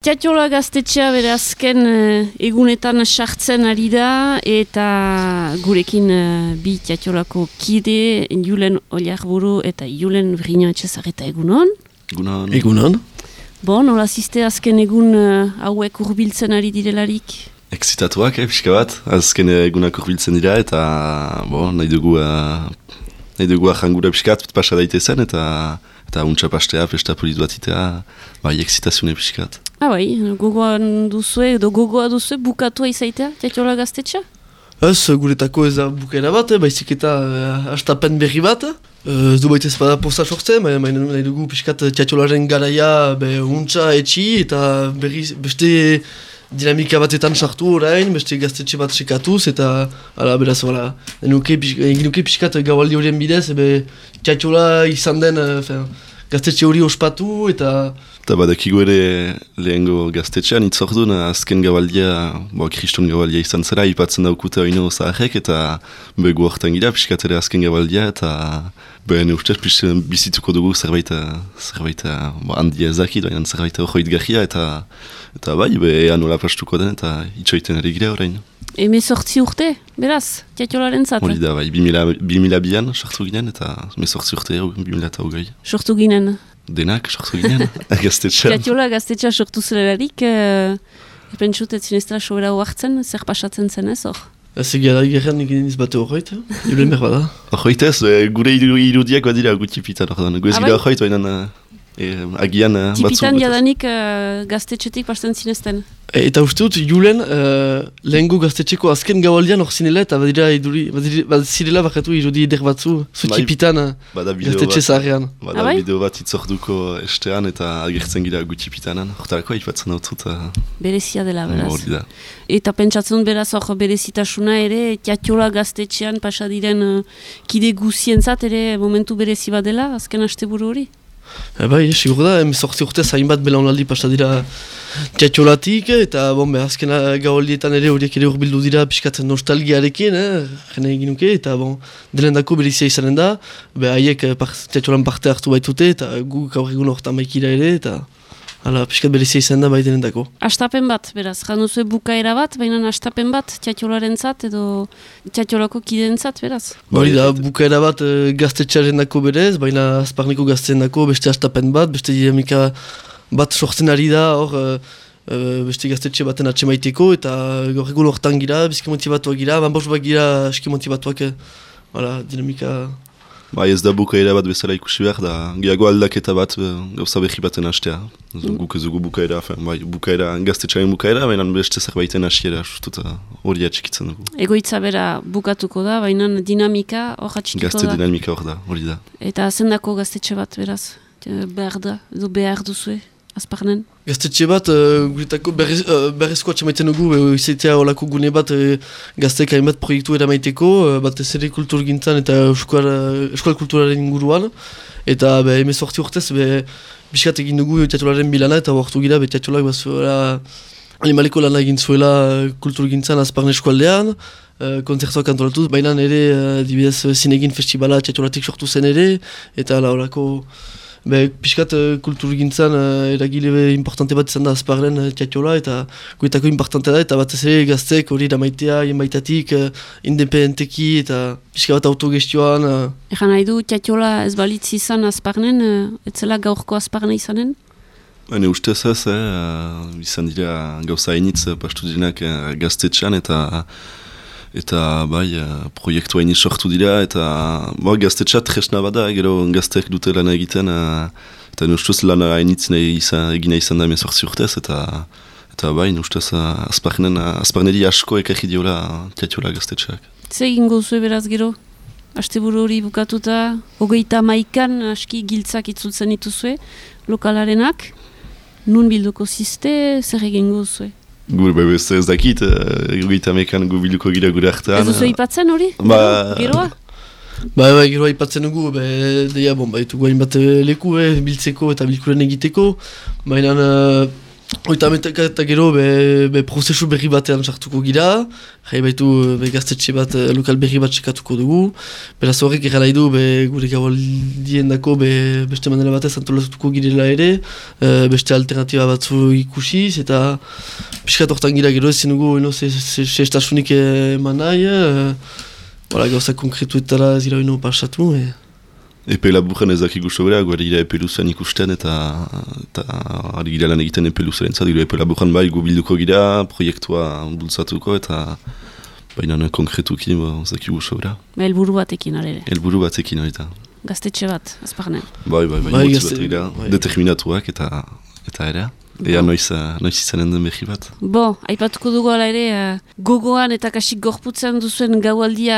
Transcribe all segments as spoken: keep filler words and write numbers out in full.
Tiatiola gaztetxea bere azken uh, egunetan sartzen ari da eta gurekin uh, bi Tiatiolako kide, Julen Oiarburu eta Julen Vrino Etxezarreta egunon. Egunon. Egunon. Bon, nola ziste azken egun uh, hauek urbiltzen ari direlarik? Exitatuak, eh, pixka bat. Azken egunak urbiltzen dira eta bon, nahi dugu uh, nahi dugu ahangura pixkat pasa daitezen eta eta untsa pastea, festa polit bat itea, bai, exitazioa pixkat. Ah bai, gogoan duzue, edo gogoa duzue bukatua izaitea, Tiatiola gaztetxa? Ez, guretako ez da bukaera bat, eh, baizik eta uh, astapen berri bat. Uh, ez du baita ez bada posta sortzen, baina baina nahi dugu pixkat Tiatiolaren garaia be, untsa etxi eta berri beste dinamika batetan sartu orain, beste gaztetxe bat sekatuz eta ala, beraz, voilà, egin nuke pixkat gaualdi horien bidez, ebe Tiatiola izan den uh, gaztetxe hori ospatu eta Eta badakigu ere lehengo gaztetxean itzordun azken gabaldia, bo, kriston gabaldia izan zera, ipatzen daukute oino zaharrek eta begu hortan gira, pixkat ere azken gabaldia eta behen ustez bizituko dugu zerbait, zerbait bo, handia ezakit, baina zerbait horroit gahia eta eta bai, behan nola pastuko den eta itxoiten ere gira orain. Eme sortzi urte, beraz, Tiatiolaren zat? Hori da, bai, bi mila bian sartu ginen eta me sortzi urte, bi mila eta hogei. Sortu ginen? Denak, sortu ginen, gaztetxean. Tiatiola gaztetxea sortu zelarik, uh, epentsut ez zineztela sobera hoartzen, zer pasatzen zen ez hor? Ez egia da gerran egin izbate horreit, julen behar bada. Horreit ez, gure irudiak badira gutipitan hor da, goez gira horreit, baina e, agian batzu. Tipitan jadanik uh, gaztetxetik pasten zinezten? E, eta uste dut, Julen, uh, lehengo gaztetxeko azken gaualdian hor zinela eta badira iduri, badira zirela bakatu irudi eder batzu, zu tipitan uh, gaztetxe zaharrean. Bada Abai? bideo bat itzorduko estean eta agertzen gira gutipitanan, hortarako aipatzen dut zut. Uh, Berezia dela, beraz. Hori da. Eta pentsatzen beraz hor berezitasuna ere, Tiatiola gaztetxean pasadiren uh, kide guzientzat ere momentu berezi bat dela, azken asteburu hori? E, bai, sigur da, emezortzi urtez hainbat belaunaldi pasa dira Tiatiolatik, eta bon, azken gaudaldietan ere horiek ere urbildu dira pixkat nostalgiarekin, eh, jene egin nuke, eta bon, delendako berizia izanen da, be haiek par, Tiatiolan parte hartu baitute, eta gu gaur egun hortan maikira ere, eta hala, pixkat berizia izanen da bai delendako. Astapen bat, beraz, januzue bukaera bat, baina astapen bat Tiatiolaren zat, edo Tiatiolako kideen zat, beraz? Hori da, bukaera bat e, gaztetxearen dako berez, baina azparneko gazteen dako beste astapen bat, beste dinamika bat sortzen ari da, hor, e, e, beste gaztetxe baten atxemaiteko, eta gaur egun hortan gira, bizki motivatuak gira, banbos bat gira eski motivatuak, e, hala, dinamika... Bai, ez da bukaera bat bezala ikusi behar, da gehiago aldaketa bat gauza behi baten hastea. Guk ez dugu bukaera, bai, bukaera, gaztetxaren bukaera, baina beste zerbaiten hasiera, justut hori atxikitzen dugu. Egoitza bera bukatuko da, baina dinamika hor atxikiko da. Gazte dinamika hor da, hori da. Eta zendako gaztetxe bat, beraz? Behar da, edo behar duzue, azparnen? Gaztetxe bat, uh, guretako berrez, uh, berrezko atxamaiten dugu, uh, izatea olako gune bat uh, gazteek hainbat proiektu eramaiteko, uh, bat ez ere kulturgintzan eta eskual, uh, eskual kulturaren inguruan, eta be, emezortzi urtez, be, biskat egin dugu Tiatiolaren bilana, eta hortu gira, be, Tiatiolak bazuela animaleko lana egin zuela kulturgintzan azparne eskualdean, uh, konzertuak antolatuz, baina ere, uh, dibidez, zinegin festibala Tiatiolatik sortu zen ere, eta la olako... Be, piskat uh, kulturgintzan uh, eragile importante bat izan da azparren uh, Tiatiola eta guetako importante da eta bat ez ere gaztek hori damaitea, jenbaitatik, uh, independenteki eta piskat bat autogestioan. Uh. Egan nahi du Tiatiola ez balitz izan azparnen, uh, etzela gaurko azparna izanen? Hane ustez ez, eh, izan dira gauza hainitz pastu direnak eh, gaztetxean eta eta bai, proiektu hain sortu dira, eta bo, gaztetxat tresna bada, gero gazteak dute lana egiten, eta nustuz lana hainitz egina izan da emezortzi urtez, eta eta bai, nustuz azparneri asko ekarri diola Tiatiola gaztetxeak. Ze egingo zuen beraz gero? Asteburu hori bukatuta, hogeita maikan aski giltzak itzultzen dituzue, lokalarenak, nun bilduko ziste, zer egingo zuen? Gur, bai, ez ez dakit, egoita mekan gu biluko gira gure hartan. Ez duzu ipatzen hori? Ba... Geroa? Ba, ba, geroa ipatzen dugu, be, deia, bon, ba, etugu hain bat leku, eh, biltzeko eta bilkuren egiteko, baina uh, Oita ametaka eta gero be, be prozesu berri batean sartuko gira, jai baitu be gaztetxe bat, lokal berri bat sekatuko dugu, beraz horrek erra nahi du be gure gaualdien dako be beste manera batez antolatuko girela ere, e, beste alternatiba batzu ikusiz, eta piskat hortan gira gero ezin dugu eno sestasunik eman nahi, e, voilà, gauza konkretuetara zira eno pasatu. E. Epe laburren ezak ikusto bera, guari gira epe luzean ikusten eta eta ari gira lan egiten epe luzean zat, epe laburren bai gu bilduko gira, proiektua bultzatuko eta baina konkretuki ezak ikusto bera. Ba, elburu batekin arere. Elburu batekin hori eta. Gaztetxe bat, azparnen. Bai, bai, bai, bai motzi gazte, bat gira, bai. Determinatuak eta eta ere. Ea noiz, noiz izanen den berri bat. Bo, aipatuko dugu ala ere, uh, gogoan eta kasik gorputzen duzuen gaualdia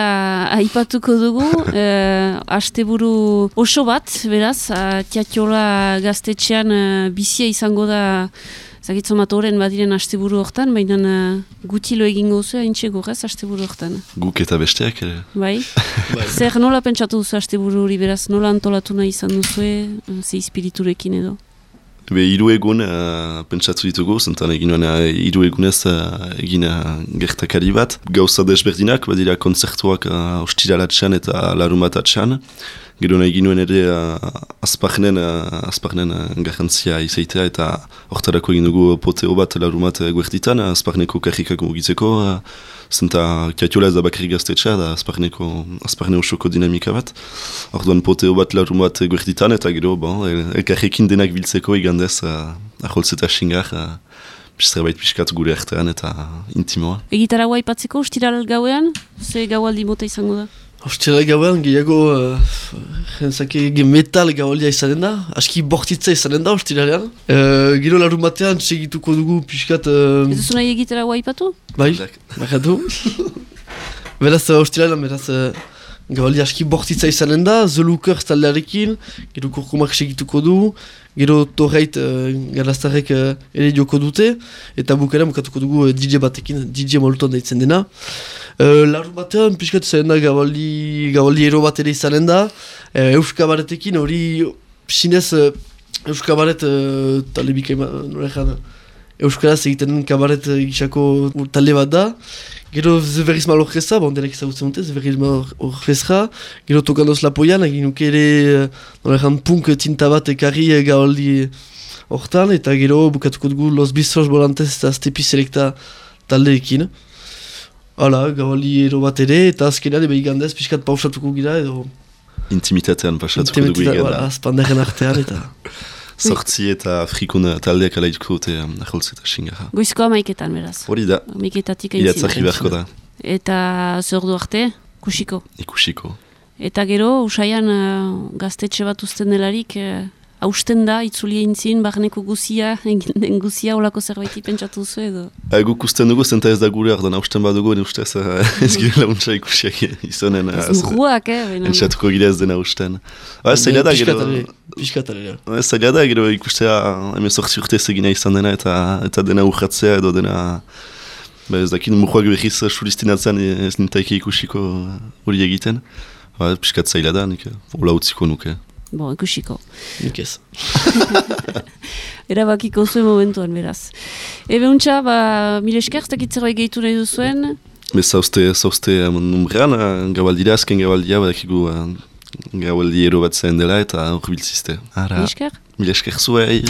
aipatuko dugu. Uh, asteburu oso bat, beraz, uh, Tiatiola gaztetxean uh, bizia izango da zagitzo matoren badiren asteburu hortan, baina uh, gutilo egingo zu haintxe gorez asteburu hortan. Guk eta besteak ere. Bai? Zer nola pentsatu duzu asteburu hori, beraz, nola antolatu nahi izan duzue, uh, ze espiriturekin edo? Be, hiru egun uh, pentsatu ditugu, zentan egin nuen uh, hiru egunez uh, egin uh, gertakari bat. Gauza desberdinak, badira kontzertuak uh, ostiralatxan eta larumatatxan. Gero nahi egin nuen ere uh, azparnen, uh, azparnen uh, garrantzia izaitea eta hortarako egin dugu poteo bat larumat guertitan, uh, azparneko karrikak mugitzeko. Uh, Zenta Tiatiola ez da bakarrik gaztetxea, da azparneko, azparne osoko dinamika bat. Orduan poteo bat larun bat guerditan eta gero, bon, elkarrekin denak biltzeko igandez uh, aholtz eta xingar, uh, zerbait pixkat gure artean eta intimoa. Egitaragoa aipatzeko, ostiral gauean, ze gaualdi mota izango da? Ostiral gauean gehiago uh, metal gaualdia izanen da, aski bortitza izanen da ostiralean. Uh, gero larun batean segituko dugu pixkat... Uh, Ez duzu nahi egitaragoa aipatu? Bai, bakatu. Beraz, uh, ostiralean, beraz, uh, gaualdia aski bortitza izanen da, Zoluker taldearekin, gero kurkumak segituko du, gero torreit uh, garaztarrek uh, ere joko dute, eta bukera bukatuko dugu uh, D J batekin, D J Molton daitzen dena. Uh, Larun batean, pixkat izanen da, gabaldi, gabaldi ero bat ere izanen da, uh, Euskabaretekin hori, sinez, uh, Euskabaret uh, talde bikaima, nore jana, Euskaraz egiten den kabaret uh, gisako talde bat da, gero Zeberriz Malorreza, bon, denek ezagutzen dute, Zeberriz Malorreza, gero Tokandoz Lapoian, egin nuke ere, uh, nore jan, punk tinta bat ekarri uh, gabaldi hortan, eta gero bukatuko dugu Los Bistros Volantes eta Stepi Selecta taldeekin. Hala, gabaldi ero bat ere, eta azkenean ebe igandez pixkat pausatuko gira edo... Intimitatean pasatuko dugu iganda. Voilà, azpandaren artean eta... Sortzi eta frikun taldeak alaituko dute um, aholtz eta xingarra. Goizkoa maiketan, beraz. Hori da. Maiketatik aintzina. Iratzarri beharko da. Eta zordu arte, kusiko. Ikusiko. Eta gero, usaian uh, gaztetxe bat usten delarik, uh, hausten da, itzulia intzin, barneko guzia, egin den guzia, olako zerbaiti pentsatu zu edo? Uh, guk usten dugu, zenta ez da gure ardan hausten bat dugu, ustez uh, ez gira launtza ikusiak izanen. Ez murruak, eh? Entzatuko gira ez dena hausten. Uh, zaila da, gero... Piskatalera. Uh, zaila da, gero ikustea, hemen sortzi urte egina izan dena, eta eta dena urratzea edo dena... Ba ez dakit, murruak behiz suristinatzen ez nintaike ikusiko hori egiten. Uh, piskat zaila da, nik hola utziko nuke. Bo, ikusiko. Nik ez. Erabakiko zuen momentuan, beraz. Ebe untxa, ba, mile esker, ez dakit zerbait gehitu nahi duzuen? Bez, zauzte, zauzte numbrean, gabaldira, azken gabaldia, badakigu gabaldi ero bat zen dela, eta hor biltzizte. Mile esker? Mile esker zuei.